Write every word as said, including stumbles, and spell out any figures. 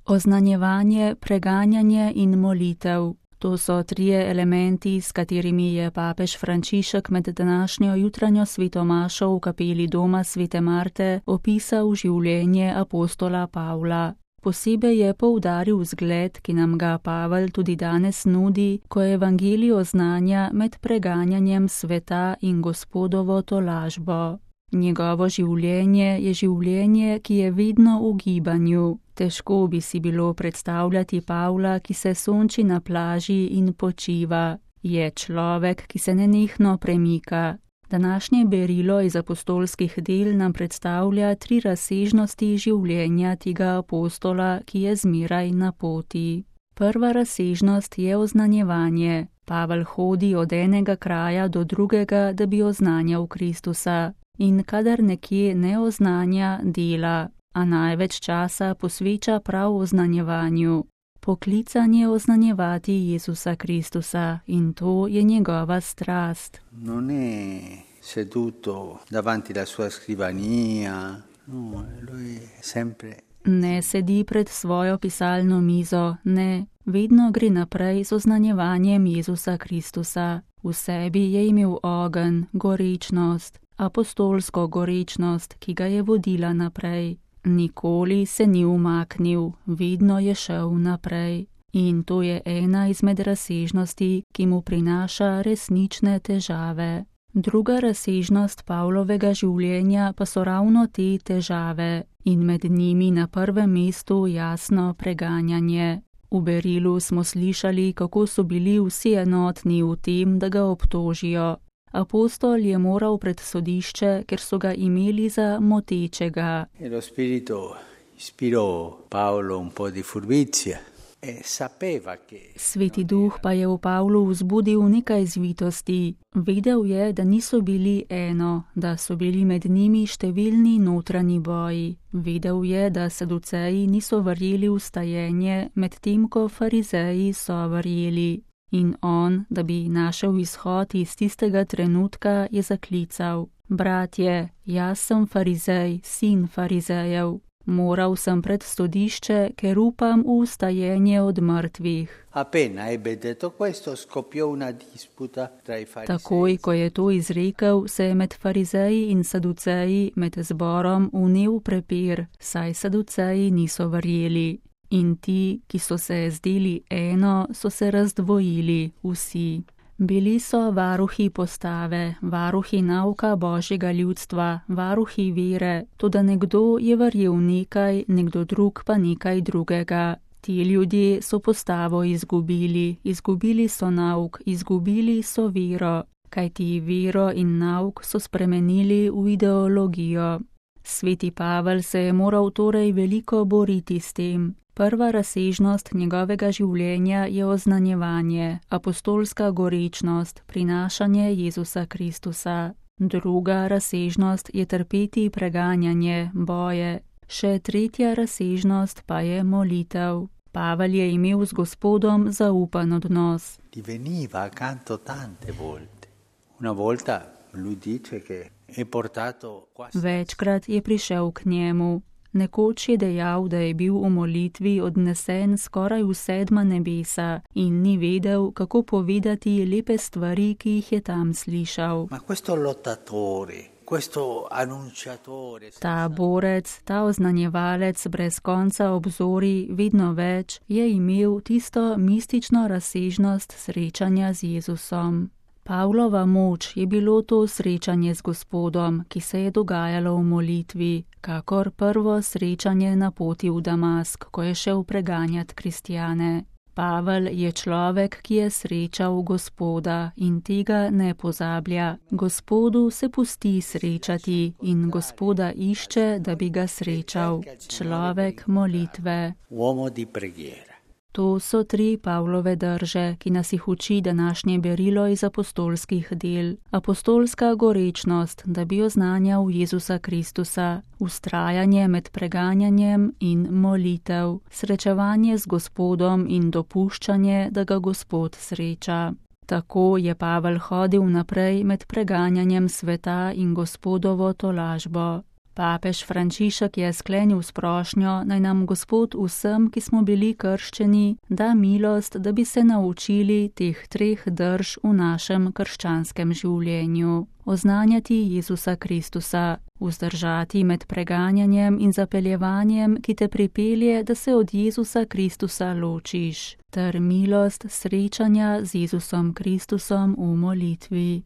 Oznanjevanje, preganjanje in molitev. To so trije elementi, s katerimi je papež Frančišek med današnjo jutranjo svetomašo v kapeli doma svete Marte opisal življenje apostola Pavla. Posebej je poudaril zgled, ki nam ga Pavel tudi danes nudi, ko evangelij oznanja med preganjanjem sveta in Gospodovo tolažbo. Njegovo življenje je življenje, ki je vedno v gibanju. Težko bi si bilo predstavljati Pavla, ki se sonči na plaži in počiva. Je človek, ki se nenehno premika. Današnje berilo iz apostolskih del nam predstavlja tri razsežnosti življenja tega apostola, ki je zmeraj na poti. Prva razsežnost je oznanjevanje. Pavel hodi od enega kraja do drugega, da bi oznanjal Kristusa. In kadar nekje ne oznanja, dela, a največ časa posveča prav oznanjevanju. Poklican je oznanjevati Jezusa Kristusa in to je njegova strast. Non è seduto davanti la sua scrivania, no, lui sempre... Ne sedi pred svojo pisalno mizo, ne, vedno gre naprej z oznanjevanjem Jezusa Kristusa. V sebi je imel ogenj, gorečnost, apostolsko gorečnost, ki ga je vodila naprej. Nikoli se ni umaknil, vedno je šel naprej. In to je ena izmed razsežnosti, ki mu prinaša resnične težave. Druga razsežnost Pavlovega življenja pa so ravno te težave in med njimi na prvem mestu jasno preganjanje. V berilu smo slišali, kako so bili vsi enotni v tem, da ga obtožijo. Apostol je moral pred sodišče, ker so ga imeli za motečega. Lo spirito ispirò Paolo un po' di furbizia e sapeva che... Sveti duh pa je v Pavlu vzbudil nekaj zvitosti. Vedel je, da niso bili eno, da so bili med njimi številni notranji boji. Vedel je, da saduceji niso verjeli v stajenje, medtem ko farizeji so verjeli. In on, da bi našel izhod iz tistega trenutka, je zaklical: Bratje, jaz sem farizej, sin farizejev. Moral sem pred sodišče, ker upam v ustajenje od mrtvih. Appena ebbe detto questo, scoppiò una disputa tra i farisei. Takoj, ko je to izrekel, se je med farizeji in saduceji, med zborom, vnel prepir, saj saduceji niso verjeli. In ti, ki so se zdeli eno, so se razdvojili vsi. Bili so varuhi postave, varuhi nauka Božjega ljudstva, varuhi vere, toda nekdo je verjel nekaj, nekdo drug pa nekaj drugega. Ti ljudje so postavo izgubili, izgubili so nauk, izgubili so vero, kajti vero in nauk so spremenili v ideologijo. Sveti Pavel se je moral torej veliko boriti s tem. Prva razsežnost njegovega življenja je oznanjevanje, apostolska gorečnost, prinašanje Jezusa Kristusa. Druga razsežnost je trpeti preganjanje, boje. Še tretja razsežnost pa je molitev. Pavel je imel z Gospodom zaupan odnos. Diveniva accanto tante volte. Una volta lui dice che è portato quasi... Večkrat je prišel k njemu. Nekoč je dejal, da je bil v molitvi odnesen skoraj v sedma nebesa in ni vedel, kako povedati lepe stvari, ki jih je tam slišal. Ma questo lottatore, questo annunciatore... Ta borec, ta oznanjevalec brez konca obzori, vedno več, je imel tisto mistično razsežnost srečanja z Jezusom. Pavlova moč je bilo to srečanje z Gospodom, ki se je dogajalo v molitvi, kakor prvo srečanje na poti v Damask, ko je šel preganjati kristjane. Pavel je človek, ki je srečal Gospoda in tega ne pozablja. Gospodu se pusti srečati in Gospoda išče, da bi ga srečal. Človek molitve. Uomo di preghiera. To so tri Pavlove drže, ki nas jih uči današnje berilo iz apostolskih del. Apostolska gorečnost, da bi oznanjal Jezusa Kristusa, ustrajanje med preganjanjem in molitev, srečevanje z Gospodom in dopuščanje, da ga Gospod sreča. Tako je Pavel hodil naprej med preganjanjem sveta in Gospodovo tolažbo. Papež Frančišek je sklenil s prošnjo, naj nam Gospod vsem, ki smo bili krščeni, da milost, da bi se naučili teh treh drž v našem krščanskem življenju. Oznanjati Jezusa Kristusa, vzdržati med preganjanjem in zapeljevanjem, ki te pripelje, da se od Jezusa Kristusa ločiš, ter milost srečanja z Jezusom Kristusom v molitvi.